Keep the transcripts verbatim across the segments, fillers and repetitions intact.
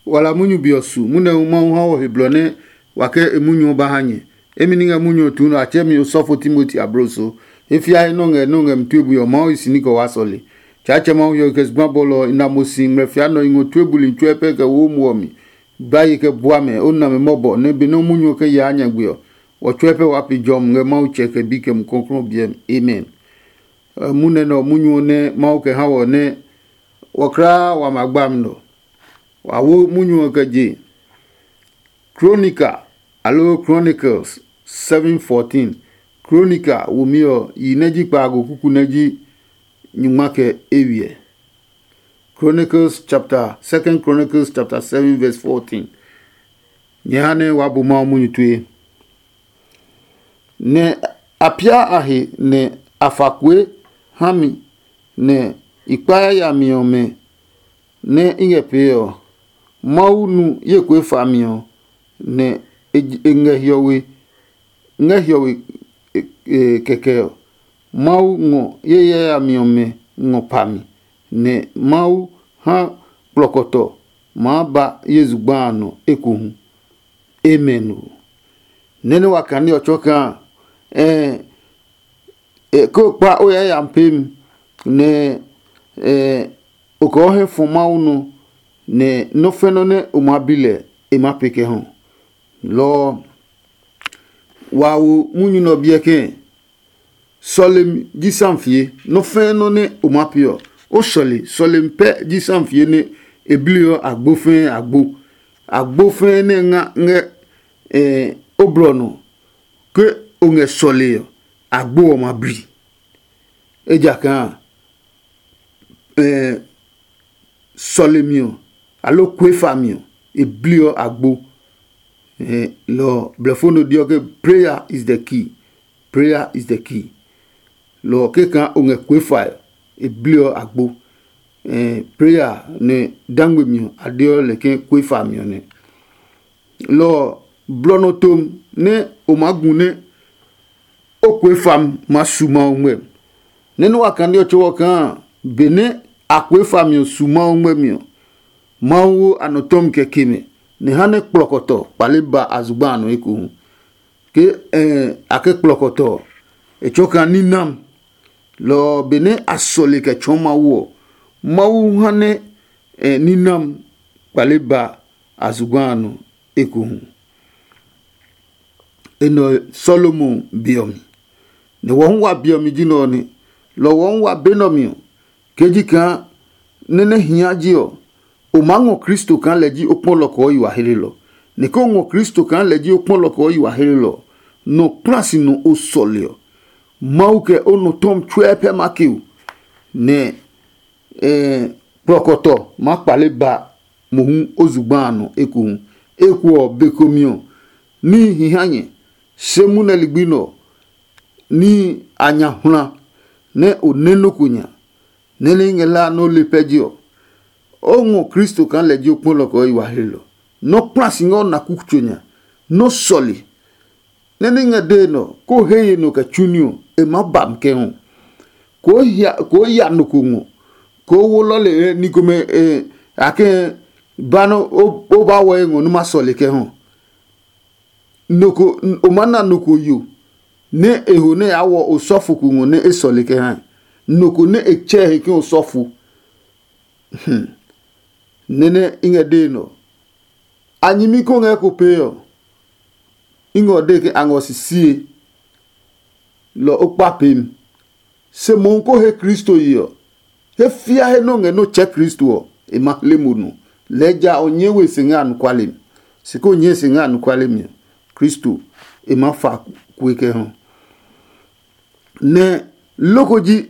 Wala munyu be ɔ su munyu hu Mawu ha wɔ he blɔ nɛ wa kɛ e munyu ɔ ba ha nyɛ. Emi ni ngɛ munyu ɔ tuu nɛ a tsɛɛ mi osɔfo Timoti abloso. E fiae nɔ ngɛ nɔ ngɛ mi tue bui ɔ, Mawu yi si ní kɛ waa sɔle. Tsaatsɛ Mawu hiɔwe kɛ zugba bɔlɔ ɔ, i na mo si ngmlɛ fia nɔ i ngɔ tue buli tsuɛ pɛ kɛ wo muɔ mi. Gbaye kɛ bua mɛ, o na mɛ mɔbɔ nɛ benɛ o munyu ɔ kɛ yaa nyagbe ɔ, wɔ tsuɛ pɛ waa pe jɔmi ngɛ Mawu Tsɛ kɛ Bi kɛ Mumi Klɔuklɔu ɔ biɛ mi. Amen. Munɛ nɛ ɔ munyu ɔ nɛ Mawu kɛ ha wɔ nɛ wɔ kulaa wa ma gbami nɔ. Wa wo munyu ɔ kɛ je Kronika aloo Chronicles seven fourteen. Kronika womi ɔ, yi nɛ ji kpaago kuku nɛ ji nyungma kɛ eywiɛ. Chronicles chapter, Second Chronicles chapter seven verse fourteen. Nyɛ ha nɛ wa bu Mawu munyu tue. Nɛ a pia a he nɛ a fa kue ha mi, nɛ i kpa yayami ɔmɛ nɛ i ngɛ pee ɔ, Mawu nu ye kue fami ɔ, nɛ e ngɛ hiɔwe ngɛ hiɔwe kɛkɛ ɔ. Mawu ngɔ ye yayami ɔmɛ ngɔ pa mi, nɛ Mawu ha kplɔkɔtɔ maa ba ye zugba a nɔ ekohu. Amen ɔ. Nɛ́ nɛ wa kane ɔ tsɔɔ kaa, ɛɛ, ko kpa o yayami peemi, nɛ o kɛ o hɛ fɔ Mawu nɔ, nɛ nɔ́ fɛ nɔ́ nɛ o maa bi lɛ, e maa pee kɛ hɔ. Lɔ ɔ, wa wo munyu nɛ ɔ biɛ kɛɛ, sɔlemi ji samfie. Nɔ́ fɛ́ nɔ́ nɛ o maa pee ɔ, o sɔle. Sɔlemi pɛ ji samfie nɛ e bliɔ agbo fɛɛ agbo. Agbo fɛɛ nɛ nga ngɛ o blɔ nɔ, ke o ngɛ sɔlee ɔ, agbo ɔ ma bli. Ejakaa sɔlemi ɔ, aloo kuefami ɔ, e bliɔ agbo. Lɔ ɔ, blɛfo no deɔ ke prayer is the key. Prayer is the key. Lɔ ɔ, keka o ngɛ kuefae ɔ, e bliɔ agbo. Prayer nɛ dangbe mi ɔ, a deɔ lɛ ke kuefami ɔ nɛ. Lɔ ɔ, blɔ nɔ tom nɛ o maa gu nɛ o kue fami ma su Mawu ngmɛ. Nɛ nɛ wa kane ɔ tsɔɔ kaa benɛ a kue fami ɔ su Mawu ngmɛmi ɔ, Mawu wo a nɔ tɔmi kɛ ke mɛ, nɛ ha nɛ kplɔkɔtɔ kpale ba a zugba a nɔ ekohu. Ke a ke kplɔkɔtɔ ɔ, e tsɔɔ kaa ninam. Lɔ ɔ, benɛ a sɔle kɛ tsɔɔ Mawu ɔ, Mawu ha nɛ ninam kpale ba a zugba a nɔ ekohu. Enɛ ɔ Solomon be ɔ mi, nɛ wɔ hu wa be ɔ mi ji nɛ ɔ nɛ. Lɔ ɔ wɔ hu wa be nɛ ɔ mi ɔ, ke ji kaa nɛ nɛ hia je ɔ, o maa ngɔ Kristo kaa lɛ ji o kpɔlɔ kɔɔ yi wa helelɔ. Nɛ ke o ngɔ Kristo kaa lɛ ji o kpɔlɔ kɔɔ yi wa helelɔ ɔ, nɔ kpla si nɔ o sɔle ɔ, Mawu kɛ o nɔ tɔmi tsuɛ pɛ ma ke o, nɛ kplɔkɔtɔ maa kpale ba mohu o zugba a nɔ ekohu. Eko ɔ, be komi ɔ, níhi hi ha nyɛ, se munɛ ligbi nɛ ɔ, níhi a nya hwla nɛ o nɛ nɔ́ ko nya, nɛ nɛ i ngɛ hlaa nɛ o le pɛ je ɔ, o ngɔ Kristo kaa lɛ ji o kpɔlɔ kɛ o yi wa hlelɔ. Nɔ́ kpla si ngɛ o na kukutso nya, nɔ́ sɔle. Nɛ ní ngɛ dee nɔ, kó he ye nɔ kɛ tsu ní ɔ, e maa ba mi kɛ hu. Koo ya nɔ ko ngɔ, koo wo lɔle ni komɛ a kɛ ba nɔ o ba wɔ e ngɔ nɛ ma sɔle kɛ hu. Nɔ ko o maa na nɔ ko yo nɛ e ho nɛ yaa wɔ osɔfo ko ngɔ nɛ e sɔle kɛ ha. Nɔ ko nɛ e tsɛ he ke osɔfo. Nɛ́ nɛ i ngɛ dee nɔ. A nyɛmi ko ngɛ ko pee ɔ, i ngɛ o dee ke a ngɔ sisie, lɔ o kpa peemi. Se mohu ko he Kristo ye ɔ, he fia he nɔ ngɛ nɔ tsɛ Kristo ɔ, e ma hle mo nu. Lɛɛ ja ɔ nyɛɛ we se ngɛ anɔkuale mi. Se ko nyɛɛ se ngɛ anɔkuale mi ɔ, Kristo e ma fa kue kɛ hɔ. Nɛ loko ji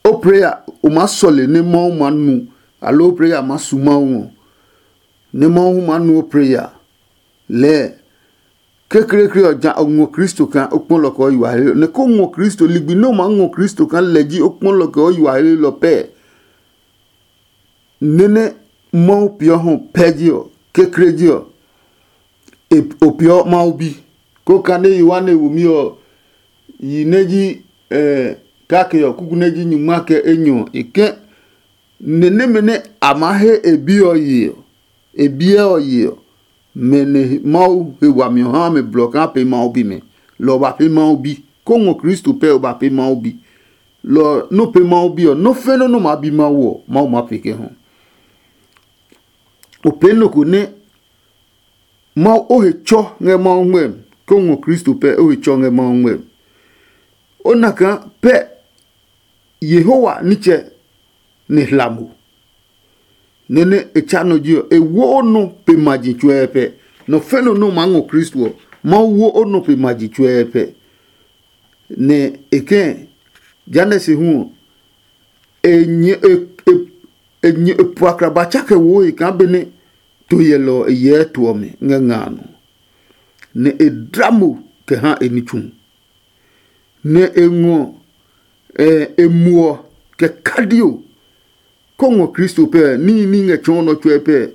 o preya o maa sɔle nɛ Mawu maa nu, aloo o preya maa su Mawu ngɔ, nɛ Mawu hu maa nu o preya. Lɛɛ kekleekle ɔ ja o ngɔ Kristo kaa o kpɔlɔ kɛ o yi wa helelɔ, nɛ ko ngɔ Kristo ligbi nɛ o maa ngɔ Kristo kaa lɛ ji o kpɔlɔ kɛ o yi wa helelɔ pɛɛ. Nɛ nɛ Mawu peeɔ hɔ pɛ ji ɔ, kekle ji ɔ, e o peeɔ Mawu bi. Ko kane Yohane womi ɔ, yi nɛ ji kake ɔ, kuku nɛ ji nyungma kɛ enyɔ ɔ, e kɛ nɛ nɛmɛ nɛ a maa he e bi ɔ ye ɔ, E biɛ ɔ ye ɔ, mɛ nɛ Mawu he wami ɔ ha mɛ blɔ kaa pee Mawu bimɛ. Lɔ ɔ ba pee Mawu bi. Kó ngɔ Kristo pɛ ɔ ba pee Mawu bi. Lɔ ɔ nɔ́ pee Mawu bi ɔ, nɔ́ fɛnɛ nɔ́ maa bi Mawu ɔ, Mawu maa pee kɛ hu. O pee nɔ ko nɛ Mawu o he tsɔ ngɛ Mawu ngmɛmi, kó ngɔ Kristo pɛ o he tsɔ ngɛ Mawu ngmɛmi. O na kaa pɛ Yehowa nitsɛ nɛ hla mo. Nɛ nɛ e tsa nɔ ji ɔ, e wo o nɔ pe ma ji tsuɛ pɛ. Nɔ fɛnɔ nɔ maa ngɔ Kristo ɔ, Mawu wo o nɔ pe ma ji tsuɛ pɛ. Nɛ e kɛ, Janɛsi hu ɔ, e nyɛ e e e nyɛ e puakra ba tsa kɛ wo e kaa benɛ to yɛlɛ ɔ e yɛɛ to ɔ mi ngɛ nga a nɔ. Nɛ e dla mo kɛ ha e ní tsu, nɛ e ngɔ e muɔ kɛ kadio. Kó ngɔ Kristo pɛ, níhi ní ngɛ tsɔɔ nɔ tsuɛ pɛ,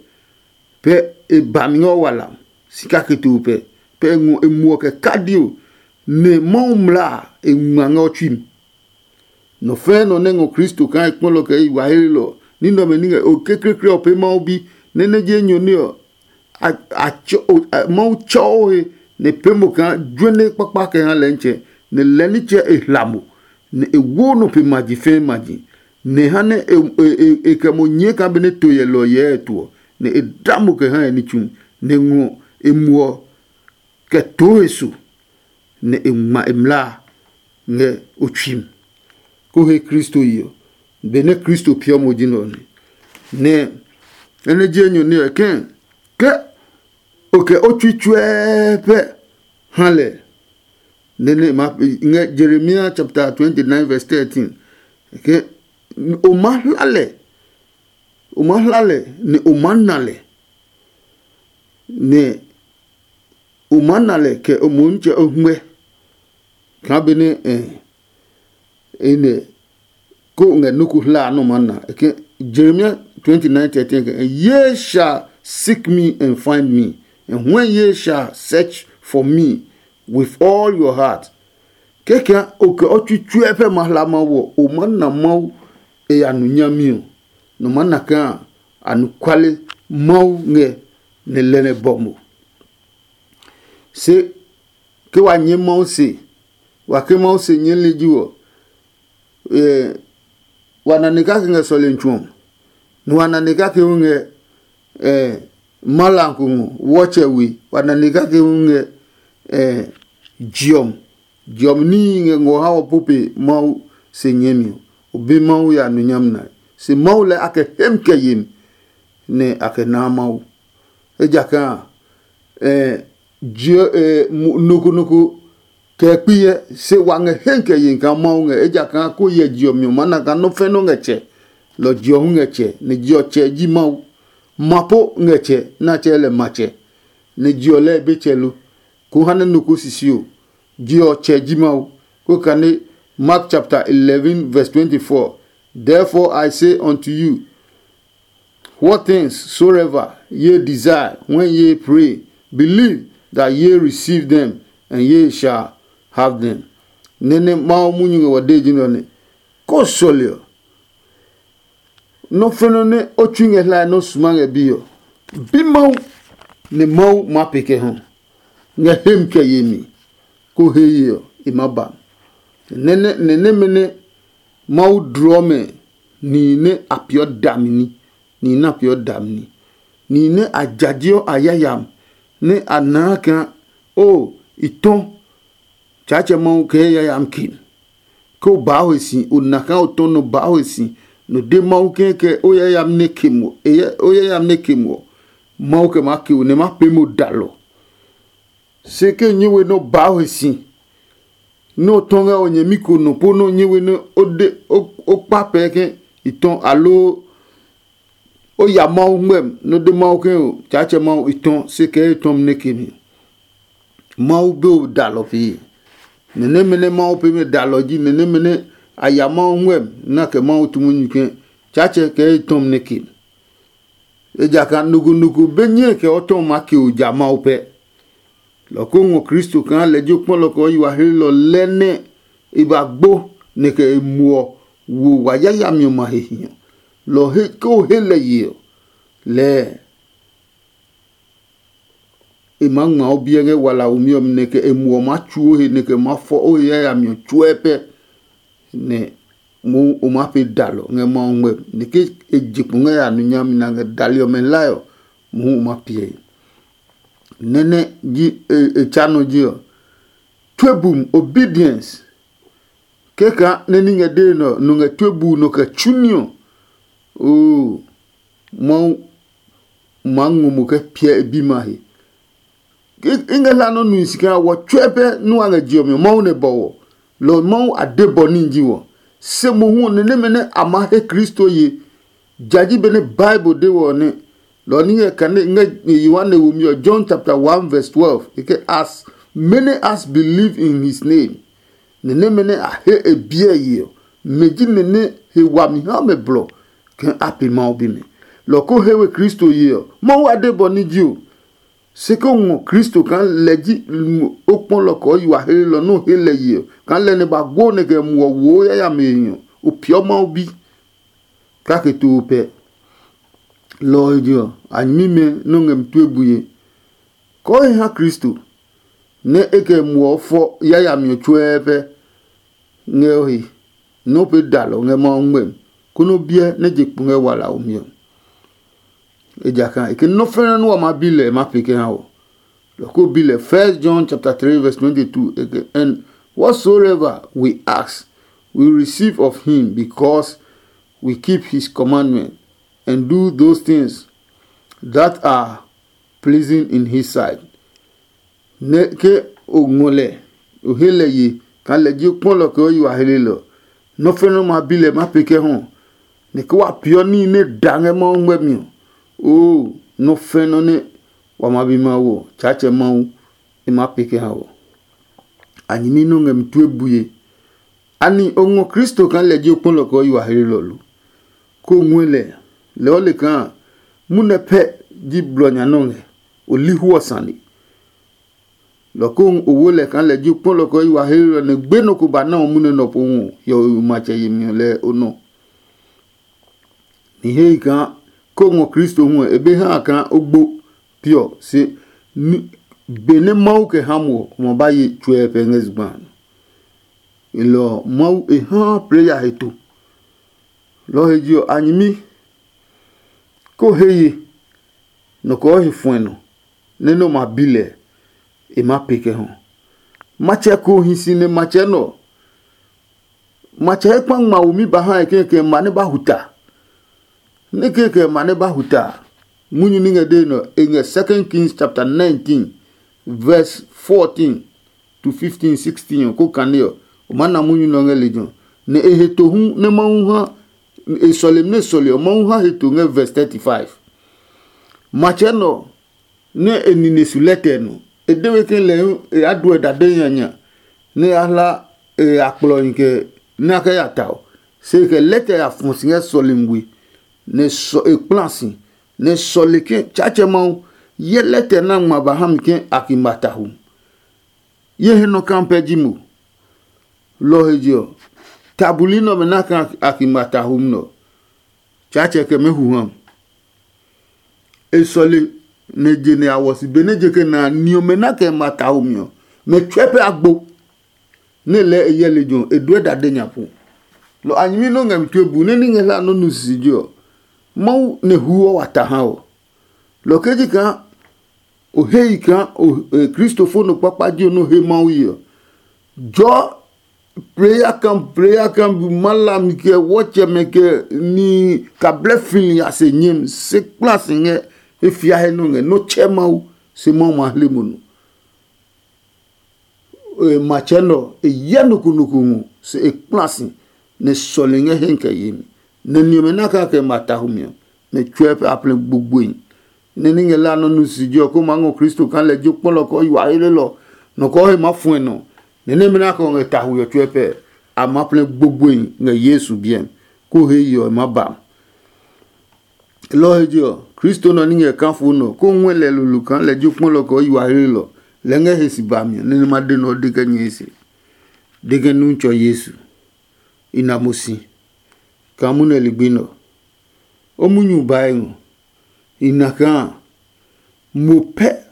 pɛ e ba mi ngɛ o wala si kake to pɛ, pɛ e ngɔ e muɔ kɛ kadio. Nɛ Mawu mla a e ngma ngɛ o tsui mi. Nɔ fɛɛ nɔ nɛ ngɔ Kristo kaa e kpɔlɔ kɛ yi wa helelɔ ní nɛ ɔmɛ ní ngɛ o kekleekle ɔ pee Mawu bi, nɛ nɛ je enyɔ nɛ ɔ, a, a tsɔ, o, a, Mawu tsɔ o he nɛ e pee mo kaa juɛne kpakpa kɛ ha lɛ nitsɛ, nɛ lɛ nitsɛ e hla mo, nɛ e wo nɔ pe maji fɛɛ maji, nɛ e ha nɛ e, e, e, e kɛ mo nyɛɛ kaa benɛ to yɛlɛ ɔ yɛɛ e to ɔ, nɛ e da mo kɛ ha e ní tsu, nɛ e ngɔ e muɔ kɛ too e so, nɛ e ngma e mlaa ngɛ o tsui mi. Ko he Kristo yi ɔ, benɛ Kristo piɔ mo ji nɛ ɔ nɛ. Nɛ enɛ je enyɔ nɛ ɔ kɛ̃ ke o kɛ o tsui tsuɛɛ pɛ ha lɛ. Nɛ nɛ ma ngɛ Jeremia chapter twenty nine verse thirteen ke o ma hla lɛ, o ma hla lɛ, nɛ o ma na lɛ, nɛ o maa na lɛ kɛ o mohu nitsɛ o huɛ kaa benɛ e nɛ ko ngɛ nɔ́ ko hlaa nɛ o maa na. Jeremia twenty nine thirteen ke, "Ye shall seek me and find me, and when ye shall search for me with all your heart." Kɛkɛ o kɛ o tsutsuɛ pɛ ma hla Mawu ɔ, o maa na Mawu e ya nu nyami ɔ, nɔ maa na kaa anɔkuale Mawu ngɛ nɛ lɛ nɛ bɔ mo. Se ke wa nyɛ Mawu se, wa ke Mawu se nyɛɛli ji ɔ, wa nane kake ngɛ sɔlemi tsu ɔ, nɛ wa nane kake hu ngɛ malanko ngɔ wɔtsɛ we, wa nane kake hu ngɛ jiɔmi. Jiɔmi níhi ngɛ ngɔ ha ɔ po pe Mawu se nyɛɛmi ɔ, o be Mawu ya nu nyami nae. Se Mawu lɛɛ a kɛ hem kɛ yemi, nɛ a kɛ naa Mawu. Ejakaa a, nɔ ko nɔ ko kɛ kpi hyɛ, se wa ngɛ he kɛ ye kaa Mawu ngɛ, ejakaa ko hyɛ je ɔ mi ɔ maa na kaa nɔ́ fɛ́ nɔ́ ngɛ tsɛ, lɔ je ɔ hu ngɛ tsɛ, nɛ je ɔ tsɛ ji Mawu. Ma po ngɛ tsɛ nɛ a tsɛɛ lɛ matsɛ, nɛ je ɔ lɛɛ e be tsɛ lo. Ko ha nɛ nɔ ko sisi ɔ, je ɔ tsɛ ji Mawu. Ko kane Mark chapter eleven verse twenty-four, "Therefore I say unto you, what things soever ye desire when ye pray, believe that ye receive them, and ye shall have them." Nene Mawu munyu ngɛ wa de ji nɔ ne. Ko sɔle ɔ, nɔ́ fɛnɔ nɛ o tsui ngɛ hlae nɔ́ suma ngɛ bi ɔ, bi Mawu, nɛ Mawu maa pe kɛ hu ngɛ hem kɛ yemi, ko he ye ɔ, e maa ba. Nɛ nɛmɛ nɛ Mawu dlɔɔ mɛ nihi nɛ a peeɔ dami ní, nihi nɛ a peeɔ dami ní, nihi nɛ a jajeɔ a yayami, nɛ a naa kaa o i tɔ Tsaatsɛ Mawu kɛ yayami ke. Ke o baa ho si, o na kaa o tɔ nɔ baa ho si, nɔ de Mawu ke kɛ o yayami nɛ ke mo, o yayami nɛ ke mo ɔ, Mawu kɛ maa ke o nɛ ma pee mo dalɔ. Se ke nyɛ we nɛ o baa ho si, nɛ o tɔ ngɛ o nyɛmi ko nɔ po nɛ o nyɛ we nɛ o de o kpa pɛɛ ke i tɔ, aloo o ya Mawu ngmɛmi nɛ o de Mawu ke o Tsaatsɛ Mawu i tɔ, se kɛ e tɔmi nɛ ke mi. Mawu be o dalɔ pee. Nɛ nɛmɛ nɛ Mawu pee mɛ dalɔ ji nɛ nɛmɛ nɛ a ya Mawu ngmɛmi nɛ a kɛ Mawu tu munyu ke Tsaatsɛ kɛ e tɔmi nɛ ke mi. Ejakaa nɔ ko nɔ ko be nyɛe kɛ o tɔmi maa ke o ja Mawu pɛ. Lɔ ko ngɔ Kristo kaa lɛ ji o kpɔlɔ kɛ o yi wa helelɔ lɛ nɛ e ba gbo nɛ kɛ e muɔ wo wa yayami ɔmɛ a he hi ɔ. Lɔ he ke o he lɛ ye ɔ, lɛɛ e maa ngma o biɛ ngɛ walaomi ɔ mi, nɛ kɛ e muɔ maa tsu o he, nɛ kɛ ma fɔ o he yayami ɔ tsuɛ pɛ, nɛ mohu o maa pee dalɔ ngɛ Mawu ngmɛmi, nɛ ke e je kpo ngɛ ya nu nyami na ngɛ dali ɔmɛ hlae ɔ, mohu o maa piɛ e. Nɛ́ nɛ ji e tsa nɔ ji ɔ, tue bum, obedience. Kɛkaa nɛ ní ngɛ dee nɛ ɔ, nɔ ngɛ tue buu nɔ kɛ tsu ní ɔ, oo, Mawu maa ngɔ mo kɛ piɛ e bima he. I ngɛ hla nɔ́ nui si kaa wɔ tsuɛ pɛ nú a ngɛ je ɔ mi ɔ, Mawu nɛ bɔ wɔ. Lɔ ɔ Mawu a de bɔ ní ji wɔ. Se mohu ɔ, ni nɛmɛ nɛ a maa he Kristo ye, ja ji benɛ Bible de wɔ ɔ nɛ. Lɔ ɔ ní ngɛ kane ngɛ Yohane womi ɔ, John chapter one verse twelve, e ke, as many as believe in his name. Ni nɛmɛ nɛ a he e biɛ ye ɔ, mɛ ji nɛ nɛ he wami ha mɛ blɔ kaa a pe Mawu bimɛ. Lɔ ko he we Kristo ye ɔ, Mawu a de bɔ ní ji o. Se ko ngɔ Kristo kaa lɛ ji o kpɔlɔ kɛ o yi wa hlelɔ nɛ o he lɛ ye ɔ, kaa lɛ nɛ ba gbo nɛ kɛ muɔ wo yayami e ɔ, o peeɔ Mawu bi kake too pɛ. Lɔ ɔ he je ɔ, a nyɛmimɛ nɛ o ngɛ mi tue bue. Kɔɔhi ha Kristo, nɛ e kɛ muɔ fɔ yayami ɔ tsuɛɛ pɛ ngɛ o he, nɛ o pee dalɔ ngɛ Mawu ngmɛmi, konɛ o biɛ nɛ je kpo ngɛ wala ɔ mi ɔ. Ejakaa e ke nɔ́ fɛnɛ nɛ wa maa bi lɛ e maa pee kɛ ha wɔ. Lɔ ko bi lɛ, First John chapter three verse twenty-two, e ke, and whatsoever we ask, we receive of him, because we keep his commandment and do those things that are pleasing in his sight. Nɛ ke o ngɔ lɛ, o he lɛ ye kaa lɛ ji o kpɔlɔ kɛ o yi wa helelɔ, nɔ́ fɛnɛ nɛ o ma bi lɛ ma pee kɛ hɔ, nɛ ke wa peeɔ níhi nɛ da ngɛ Mawu ngmɛmi ɔ, oo, nɔ́ fɛnɛ nɛ wa ma bi Mawu ɔ, Tsaatsɛ Mawu e maa pee kɛ ha wɔ. A nyɛmi nɛ o ngɛ mi tue bue. Ani o ngɔ Kristo kaa lɛ ji o kpɔlɔ kɛ o yi wa helelɔ lo? Ko o ngɔɛ lɛ, lɛɛ o le kaa munɛ pɛ ji blɔ nya nɛ o ngɛ, o li hu ɔ sane. Lɔ ko o wo lɛ kaa lɛ ji o kpɔlɔ kɛ o yi wa helelɔ nɛ gbe nɔ ko ba na o munɛ nɔ po hu hiɔwe matsɛ yemi ɔ lɛɛ o nɔ. Nihehi kaa ko ngɔ Kristo hu ɔ, e be ha kaa o gbo piɔ se benɛ Mawu kɛ ha mo ɔ, o ma ba ye tsuɛ pɛ ngɛ zugba a nɔ. Elɔ ɔ, Mawu e haa plɛ ya he to. Lɔ ɔ he je ɔ, a nyɛmi ko he ye nɔ kɔɔ he fuɛ nɔ nɛ nɛ o ma bi lɛ, e maa pee kɛ hɔ. Matsɛ ko hi si nɛ matsɛ nɛ ɔ, matsɛ he kpa ngma womi ba ha e kɛkɛ ma nɛ ba huta. Nɛ kɛkɛ ma nɛ ba huta a, munyu ní ngɛ dee nɛ ɔ, e ngɛ Second Kings chapter nineteen verse fourteen to fifteen, sixteen ɔ, ko kane ɔ, o maa na munyu nɛ ɔ ngɛ lejɛ ɔ. Nɛ e he to hu nɛ Mawu ha e sɔlemi nɛ e sɔle ɔ, Mawu ha he to ngɛ verse thirty-five. Matsɛ nɛ ɔ, nɛ e nine su lɛtɛ ɔ nɔ. E de we ke lɛ hu e ya duɛ dade nyanya nɛ e ya hla e akplɔhi kɛ nɛ a kɛ ya ta ɔ. Se e kɛ lɛtɛ ya fɔ si ngɛ sɔlemi we, nɛ e kpla si, nɛ e sɔle ke, Tsaatsɛ Mawu, hyɛ lɛtɛ nɛ a ngma ba ha mi ke a ki ma ta hu. Ye he nɔ kaa pɛ ji mo. Lɔ ɔ he je ɔ, ta buli nɛ ɔmɛ na kaa a ki ma ta hu nɛ ɔ, Tsaatsɛ kɛ mɛ hu ha mi. E sɔle nɛ je nɛ a wɔ si benɛ je kɛ na a ni ɔmɛ na kɛ ma ta ho mi ɔ, mɛ tsɔɛ pɛ a gbo. Nɛ lɛɛ e hyɛ lejɛ ɔ, e duɛ dade nya pu. Lɔ a nyɛmi nɛ o ngɛ mi tue bu nɛ ní ngɛ hlaa nɔ́ nu sisije ɔ, Mawu nɛ huɔ wa ta ha ɔ. Lɔ ke ji kaa o hei kaa kristofo nɔ kpakpa ji nɛ o he Mawu ye ɔ, jɔɔ prayer camp, prayer camp, malam kɛ wɔtsɛmɛ kɛ ni kablɛ fili a se nyɛmi se kpla si ngɛ e fia he nɔ ngɛ nɔ tsɛ Mawu, se Mawu ma hle mo nɔ. Matsɛ nɛ ɔ, e hyɛ nɔ ko nɔ ko ngɔ se e kpla si, nɛ sɔle ngɛ he kɛ yemi, nɛ ni ɔmɛ na kaa kɛ ma tahu mi ɔ, mɛ tsuɛ pɛ a plɛ gbogboe. Nɛ ní ngɛ la nɔ́ nu sisije ɔ, kó maa ngɔ Kristo kaa lɛ ji o kpɔlɔ kɔɔ yi wa helelɔ, nɔ kɔɔ he maa fuɛ nɔ, nɛ nɛmɛ nɛ a kɛ ngɛ tahuɛ ɔ tsuɛ pɛ, a maa plɛ gbogboe ngɛ Yesu biɛ mi, kó he ye ɔ, e maa ba. Lɔ ɔ he je ɔ, Kristo nɛ ɔ ní ngɛ kafo nɛ ɔ, kó ngɔɛ lɛ lolo kaa lɛ ji o kpɔlɔ kɔɔ yi wa helelɔ, lɛ ngɛ he si ba mi ɔ, nɛ nɛ ma de nɛ ɔ de kɛ nyɛe se, de kɛ nu tsɔ Yesu. I na mo si kaa munɛ ligbi nɛ ɔ. O munyu bae ngɔ. I na kaa mo pɛ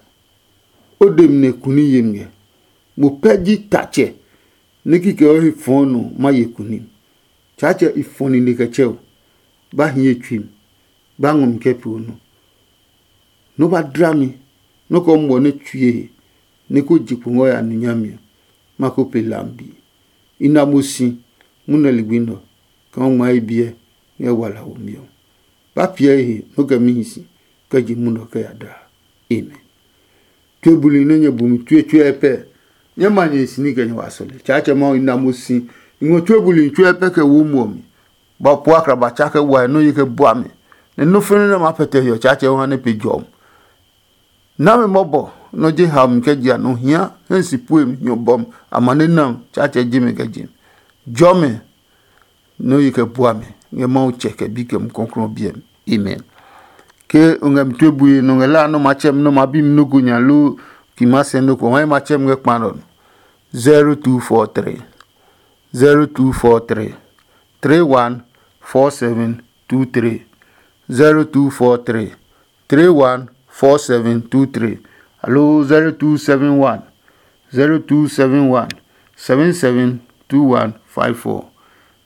O de mi nɛ kuni ye mi ngɛ. Mo pɛ ji tatsɛ nɛ kikɛ o he fɔɔ nɔ ma ye kuni. Tsaatsɛ i fɔ nine kɛ tsɛ o. Ba hi ye tsui mi. Ba ngɔ mi kɛ pee o nɔ. Nɔ ba dla mi. Nɔ kɛ o muɔ nɛ tsue he nɛ ko je kpo ngɔ ya nu nyami ɔ, ma ko pe lambi. I na mo si munɛ ligbi nɔ kɛ o ngma ye biɛ ngɛ wala womi ɔ. Ba piɛ he nɔ kɛ mi hi si kɛ je munɔ kɛ ya daa. Amen. Tue buli nɛ nyɛ bu mi tsuetsue pɛ. Nyɛ ma nyɛ si ní kɛ nyɛ wa sɔle. Tsaatsɛ Mawu, i na mo si. I ngɔ tue buli tsuɛ pɛ kɛ wo muɔ mi. Ba po akra ba tsa kɛ wa nɔ ye kɛ bua mi. Nɛ nɔ fɛnɛ nɛ ma pɛtɛ hiɔ Tsaatsɛ o ha nɛ pe jɔm. Na me mɔbɔ nɔ je ha mi kɛ jia nɔ hia hɛ si pue mi hiɔ bɔm. Amane nam Tsaatsɛ je mi kɛ je mi. Jɔ mi nɔ ye kɛ bua mi ngɛ Mawu tsɛ kɛ bi kɛ mu kɔklɔ biɛ mi. Amen. Ke o ngɛ mi tue bue nɔ ngɛ la nɔ ma tsɛ mi nɔ ma bi mi nɔ go nya lo ki ma sɛ nɔ ko hɔɛ ma tsɛ mi ngɛ kpa nɔ. Zero two four three, zero two four three, three one four seven two three, zero two four three, three one four seven two three, alo zero two seven one, zero two seven one, seven seven two one five four,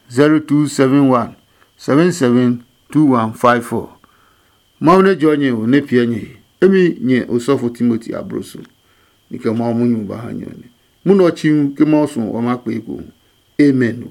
zero two seven one, seven seven two one five four. Mawu nɛ jɔ nyɛ o nɛ piɛ nyɛ he. Emi nyɛ osɔfo Timoti abroso. Ni kɛ Mawu munyu ba ha nyɛ ɔ nɛ. Munɔ tsi hu ke Mawu suɔ wa ma kpee ko hu. Amen.